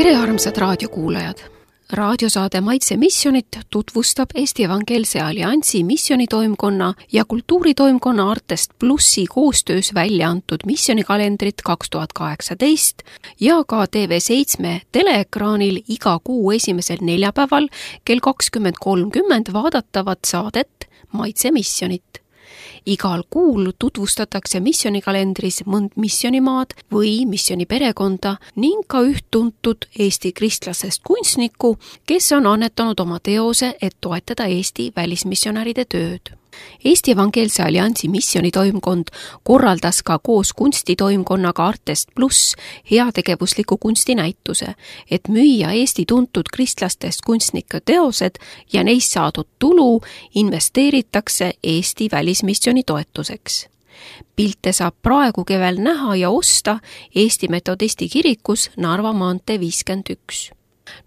Tere armsad raadiokuulajad! Raadiosaade Maitse missionit tutvustab Eesti Evangeelse Alliansi missionitoimkonna ja kultuuritoimkonna Artest Plussi koostöös välja antud missionikalendrit 2018 ja ka TV7 teleekraanil iga kuu esimesel neljapäeval kell 20.30 vaadatavat saadet Maitse missionit. Igal kuul tutvustatakse missionikalendris mõnd missionimaad või missioniperekonda ning ka üht tuntud Eesti kristlasest kunstnikku, kes on annetanud oma teose, et toetada Eesti välismissionäride tööd. Eesti Evangeelse Alliansi missionitoimkond korraldas ka koos kunstitoimkonnaga Artest Pluss heategevusliku kunstinäituse, et müüa Eesti tuntud kristlastest kunstnike teosed ja neist saadud tulu investeeritakse Eesti välismissioni toetuseks. Pilte saab praegu kevel näha ja osta Eesti Metodisti kirikus Narva maantee 51.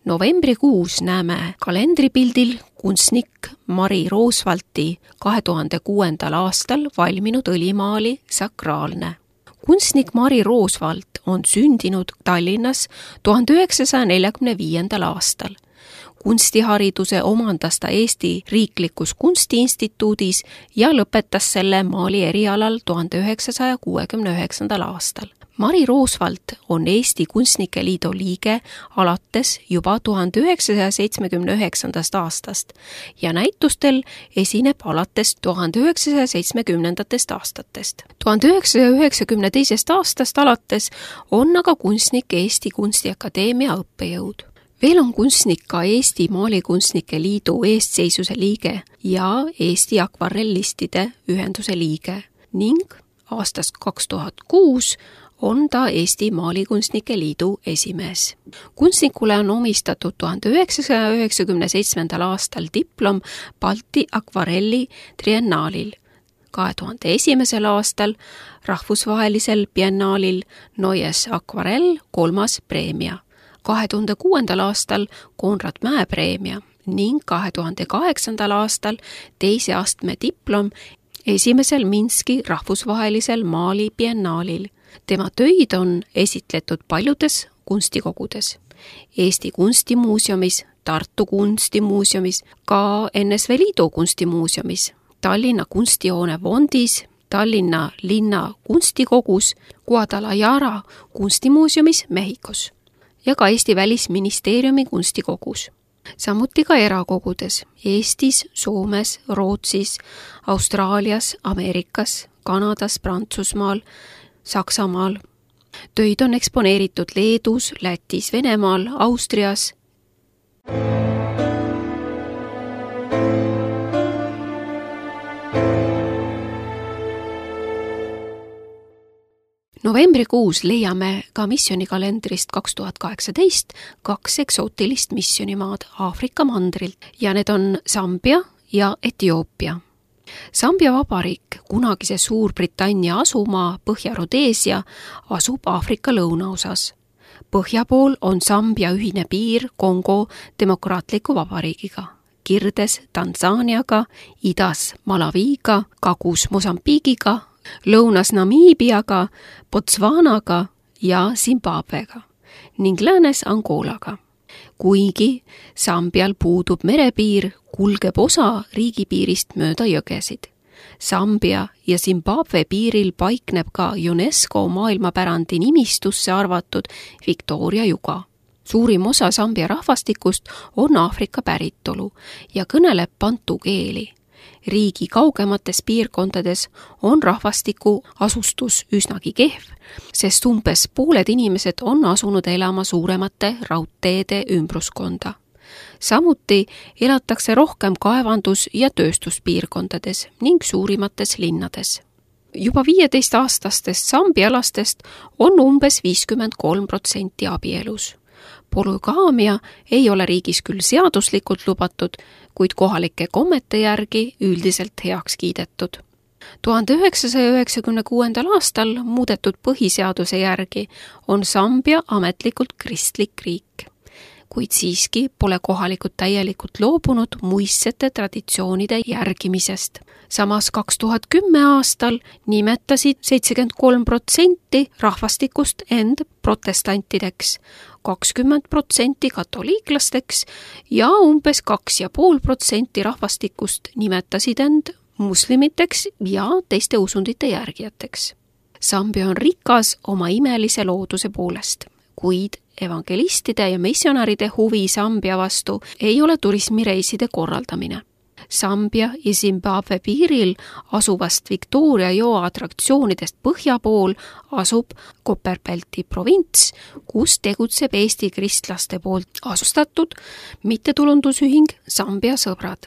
Novembrikuus näeme kalendripildil kunstnik Mari Roosvalti 2006. aastal valminud õlimaali Sakraalne. Kunstnik Mari Roosvalt on sündinud Tallinnas 1945. aastal. Kunstihariduse omandas ta Eesti Riiklikus Kunstiinstituudis ja lõpetas selle maali erialal 1969. aastal. Mari Roosvalt on Eesti Kunstnike Liidu liige alates juba 1979. aastast ja näitustel esineb alates 1970. aastatest. 1992. aastast alates on aga kunstnik Eesti Kunstiakadeemia õppejõud. Veel on kunstnik ka Eesti Maalikunstnike Liidu eestseisuse liige ja Eesti Akvarellistide ühenduse liige ning aastast 2006 on ta Eesti Maalikunstnike Liidu esimees. Kunstnikule on omistatud 1997. aastal diplom Balti akvarelli triennaalil, 2001. aastal rahvusvahelisel biennaalil Neues akvarell 3. preemia, 2006. aastal Konrad Mäe preemia ning 2008. aastal 2. astme diplom esimesel Minski rahvusvahelisel maali biennaalil. Tema töid on esitletud paljudes kunstikogudes. Eesti Kunstimuuseumis, Tartu Kunstimuuseumis, ka NSV Liidu Kunstimuuseumis, Tallinna kunstihoone fondis, Tallinna linna kunstikogus, Guadalajara kunstimuuseumis Mehhikos ja ka Eesti Välisministeeriumi kunstikogus. Samuti ka erakogudes Eestis, Soomes, Rootsis, Austraalias, Ameerikas, Kanadas, Prantsusmaal, Saksamaal. Töid on eksponeeritud Leedus, Lätis, Venemaal, Austrias. Novembrikuus leiame ka missionikalendrist 2018 2 eksootilist missionimaad Aafrika mandrilt ja need on Sambia ja Etioopia. Sambia vabariik, kunagise Suurbritannia asumaa Põhja-Rodeesia, asub Aafrika lõunaosas. Põhja pool on Sambia ühine piir Kongo demokraatliku vabariigiga, kirdes Tansaaniaga, idas Malawiga, kagus Mosambiigiga, lõunas Namiibiaga, Botswanaga ja Zimbabwega ning läänes Angolaga. Kuigi Sambial puudub merepiir, kulgeb osa riigipiirist mööda jõgesid. Sambia ja Zimbabwe piiril paikneb ka UNESCO maailmapärandi nimistusse arvatud Victoria juga. Suurim osa Sambia rahvastikust on Aafrika päritolu ja kõneleb bantu keeli. Riigi kaugemates piirkondades on rahvastiku asustus üsnagi kehv, sest umbes pooled inimesed on asunud elama suuremate raudteede ümbruskonda. Samuti elatakse rohkem kaevandus- ja tööstuspiirkondades ning suurimates linnades. Juba 15-aastastest sambialastest on umbes 53% abielus. Polügaamia ei ole riigis küll seaduslikult lubatud, kuid kohalike kommete järgi üldiselt heaks kiidetud. 1996. aastal muudetud põhiseaduse järgi on Sambia ametlikult kristlik riik, kuid siiski pole kohalikud täielikult loobunud muistsete traditsioonide järgimisest. Samas 2010 aastal nimetasid 73% rahvastikust end protestantideks, 20% katoliiklasteks ja umbes 2,5% rahvastikust nimetasid end muslimiteks ja teiste usundite järgijateks. Sambia on rikas oma imelise looduse poolest, kuid evangelistide ja missionäride huvi Sambia vastu ei ole turismireiside korraldamine. Sambia ja Zimbabwe piiril asuvast Victoria joo atraktsioonidest põhja pool asub Copperbelti provints, kus tegutseb Eesti kristlaste poolt asustatud mittetulundusühing Sambia sõbrad.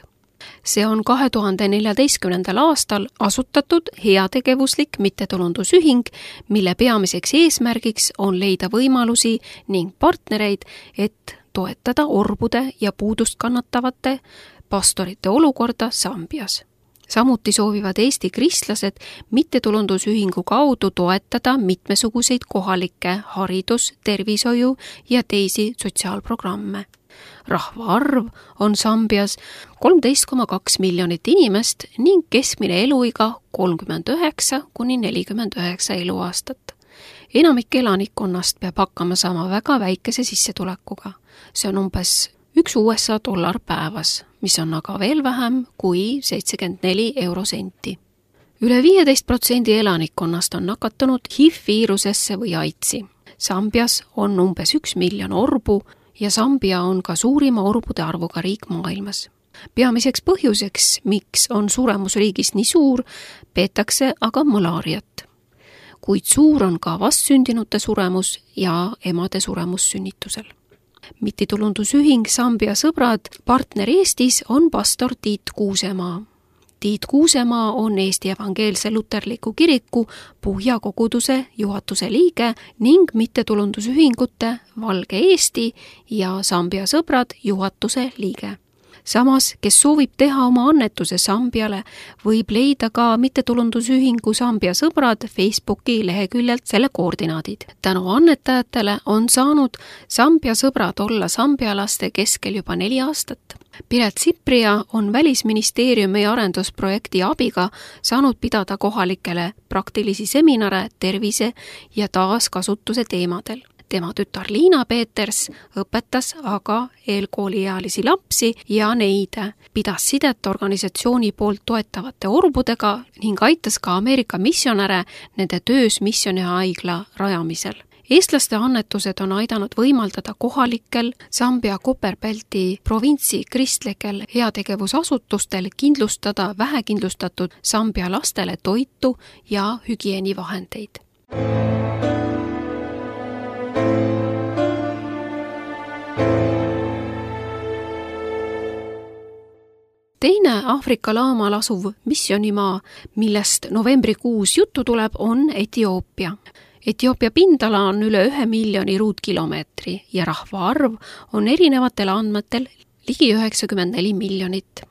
See on 2014. aastal asutatud heategevuslik mittetulundusühing, mille peamiseks eesmärgiks on leida võimalusi ning partnereid, et toetada orbude ja puudust kannatavate pastorite olukorda Sambias. Samuti soovivad Eesti kristlased mittetulundusühingu kaudu toetada mitmesuguseid kohalikke haridus-, tervishoiu ja teisi sotsiaalprogramme. Rahvaarv on Sambias 13,2 miljonit inimest ning keskmine eluiga 39–49 eluaastat. Enamik elanikkonnast peab hakkama saama väga väikese sissetulekuga. See on umbes $1 USA päevas, mis on aga veel vähem kui 74 eurosenti. Üle 15% elanikkonnast on nakatunud HIV-viirusesse või AIDSi. Sambias on umbes 1 miljon orbu ja Sambia on ka suurima orbude arvuga riik maailmas. Peamiseks põhjuseks, miks on suremus riigis nii suur, peetakse aga malaariat. Kuid suur on ka vastsündinute suremus ja emade suremus sünnitusel. Mittetulundusühing Sambia sõbrad partner Eestis on pastor Tiit Kuusemaa. Tiit Kuusemaa on Eesti Evangeelse Luterliku Kiriku Puhja koguduse juhatuse liige ning mittetulundusühingute Valge Eesti ja Sambia sõbrad juhatuse liige. Samas, kes soovib teha oma annetuse Sambiale, võib leida ka mittetulundusühingu Sambia sõbrad Facebooki leheküljelt selle koordinaadid. Tänu annetajatele on saanud Sambia sõbrad olla sambialaste keskel juba 4 aastat. Piret Sipria on Välisministeeriumi arendusprojekti abiga saanud pidada kohalikele praktilisi seminare tervise ja taaskasutuse teemadel. Tema tütar Liina Peeters õpetas aga eelkooliealisi lapsi ja neid, pidas sidet organisatsiooni poolt toetavate orbudega ning aitas ka Ameerika missionäre nende töös missionihaigla rajamisel. Eestlaste annetused on aidanud võimaldada kohalikel Sambia Copperbelti provintsi kristlikel heategevusasutustel kindlustada vähekindlustatud Sambia lastele toitu ja hügieenivahendeid. Teine Aafrika laamal asuv missionimaa, millest novembrikuus juttu tuleb, on Etioopia. Etioopia pindala on üle 1 miljoni ruutkilomeetri ja rahvaarv on erinevatel andmetel ligi 94 miljonit.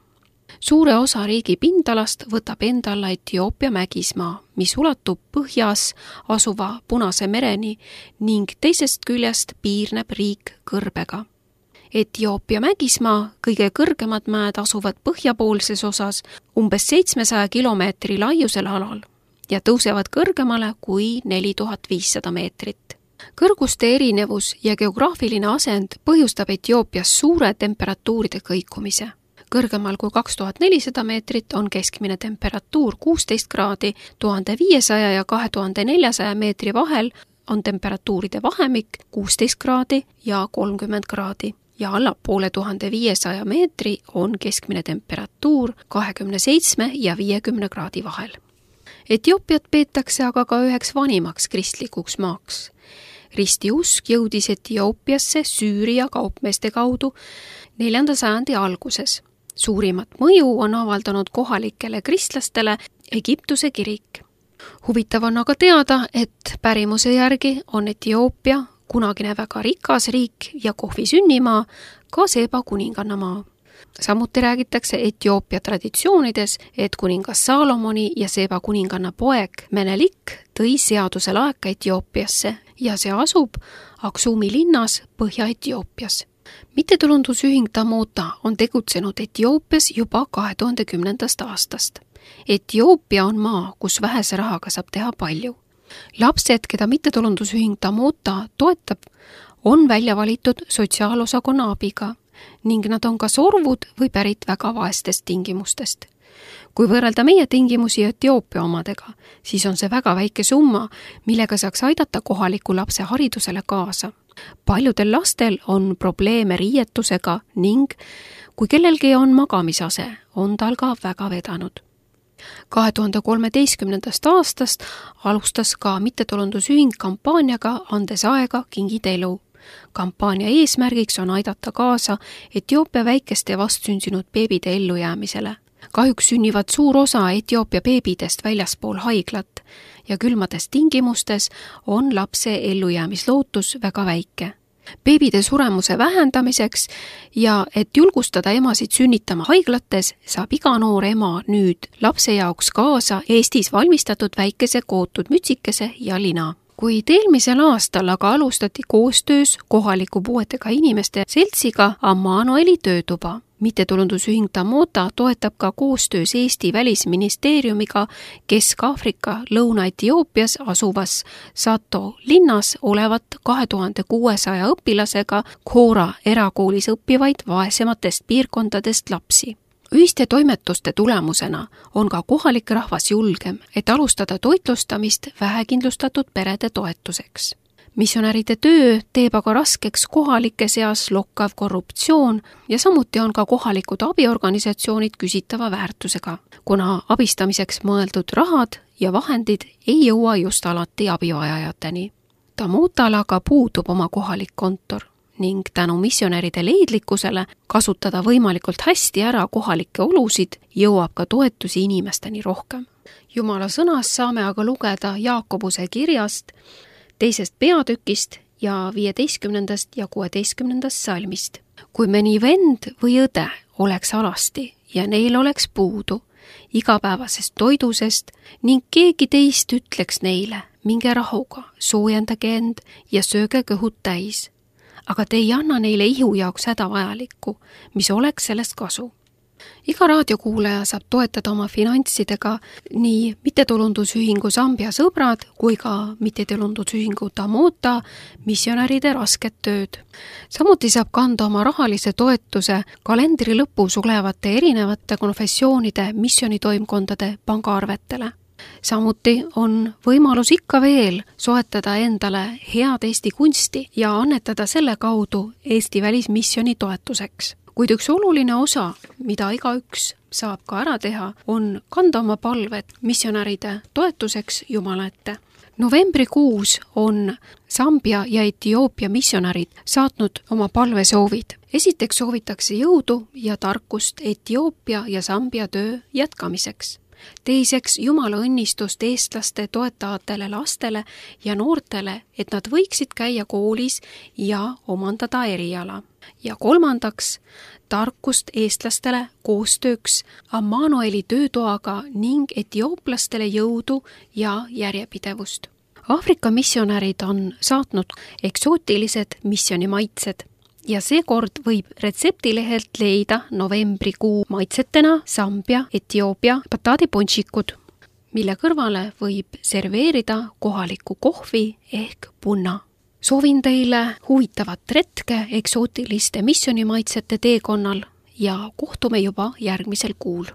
Suure osa riigi pindalast võtab enda alla Etioopia mägismaa, mis ulatub põhjas asuva Punase mereni ning teisest küljest piirneb riik kõrbega. Etioopia mägismaa kõige kõrgemad mäed asuvad põhjapoolses osas umbes 700 kilomeetri laiusel alal ja tõusevad kõrgemale kui 4500 meetrit. Kõrguste erinevus ja geograafiline asend põhjustab Etioopias suure temperatuuride kõikumise. Kõrgemal kui 2400 meetrit on keskmine temperatuur 16 kraadi, 1500 ja 2400 meetri vahel on temperatuuride vahemik 16 kraadi ja 30 kraadi. Ja allapoole 1500 meetri on keskmine temperatuur 27 ja 50 kraadi vahel. Etioopiat peetakse aga ka üheks vanimaks kristlikuks maaks. Ristiusk jõudis Etioopiasse Süüria kaupmeeste kaudu 4. sajandi alguses. Suurimat mõju on avaldanud kohalikele kristlastele Egiptuse kirik. Huvitav on aga teada, et pärimuse järgi on Etioopia kunagine väga rikas riik ja kohvi sünnimaa, ka Seba kuningannamaa. Samuti räägitakse Etioopia traditsioonides, et kuningas Saalomoni ja Seba kuninganna poeg Menelik tõi seaduse laeka Etioopiasse ja see asub Aksumi linnas Põhja-Etioopias. Mittetulundusühing Tamota on tegutsenud Etioopias juba 2010. aastast. Etioopia on maa, kus vähese rahaga saab teha palju. Lapsed, keda mittetulundusühing Tamota toetab, on välja valitud sotsiaalosakonna abiga ning nad on kas orvud või pärit väga vaestest tingimustest. Kui võrrelda meie tingimusi Etioopia omadega, siis on see väga väike summa, millega saaks aidata kohaliku lapse haridusele kaasa. Paljudel lastel on probleeme riietusega ning kui kellelgi on magamisase, on tal ka väga vedanud. 2013. aastast alustas ka mittetulundusühing kampaaniaga Andes aega, kingid elu. Kampaania eesmärgiks on aidata kaasa Etioopia väikeste vastsündinud beebide ellujäämisele. Kahjuks sünnivad suur osa Etioopia beebidest väljaspool haiglat ja külmades tingimustes on lapse ellujäämislootus väga väike. Beebide suremuse vähendamiseks ja et julgustada emasid sünnitama haiglates, saab iga noor ema nüüd lapse jaoks kaasa Eestis valmistatud väikese kootud mütsikese ja lina. Kuid eelmisel aastal aga alustati koostöös kohaliku puuetega inimeste seltsiga Ammanueli töötuba. Mittetulundusühing Tamota toetab ka koostöös Eesti välisministeeriumiga Kesk-Aafrika Lõuna-Etioopias asuvas Sato linnas olevat 2600 õpilasega Khora erakoolis õppivaid vaesematest piirkondadest lapsi. Ühiste toimetuste tulemusena on ka kohalik rahvas julgem, et alustada toitlustamist vähekindlustatud perede toetuseks. Missionäride töö teeb aga raskeks kohalike seas lokkav korruptsioon ja samuti on ka kohalikud abiorganisatsioonid küsitava väärtusega, kuna abistamiseks mõeldud rahad ja vahendid ei jõua just alati abivajajateni. Tamotal aga puudub oma kohalik kontor ning tänu missionäride leidlikkusele kasutada võimalikult hästi ära kohalikke olusid jõuab ka toetusi inimesteni rohkem. Jumala sõnas saame aga lugeda Jaakobuse kirjast 2. peatükist ja 15. ja 16. salmist. Kui mõni vend või õde oleks alasti ja neil oleks puudu igapäevasest toidusest ning keegi teist ütleks neile, minge rahuga, soojendage end ja sööge kõhud täis, aga te ei anna neile ihu jaoks hädavajalikku, mis oleks sellest kasu. Iga raadiokuulaja saab toetada oma finantsidega nii mittetulundusühingu Sambia sõbrad kui ka mittetulundusühingu Tamota missionäride rasket tööd. Samuti saab kanda oma rahalise toetuse kalendri lõpus olevate erinevate konfessioonide missionitoimkondade pangaarvetele. Samuti on võimalus ikka veel soetada endale head Eesti kunsti ja annetada selle kaudu Eesti välismissioni toetuseks. Kuid üks oluline osa, mida igaüks saab ka ära teha, on kanda oma palved missionäride toetuseks Jumala ette. Novembrikuus on Sambia ja Etioopia missionärid saatnud oma palvesoovid. Esiteks soovitakse jõudu ja tarkust Etioopia ja Sambia töö jätkamiseks. Teiseks Jumala õnnistust eestlaste toetavatele lastele ja noortele, et nad võiksid käia koolis ja omandada eriala. Ja kolmandaks tarkust eestlastele koostööks Ammanueli töötoaga ning etiooplastele jõudu ja järjepidevust. Aafrika missionärid on saatnud eksootilised missionimaitsed ja seekord võib retseptilehelt leida novembrikuu maitsetena Sambia, Etioopia pataadiponšikud, mille kõrvale võib serveerida kohalikku kohvi ehk punna. Soovin teile huvitavat retke eksootiliste missionimaitsete teekonnal ja kohtume juba järgmisel kuul.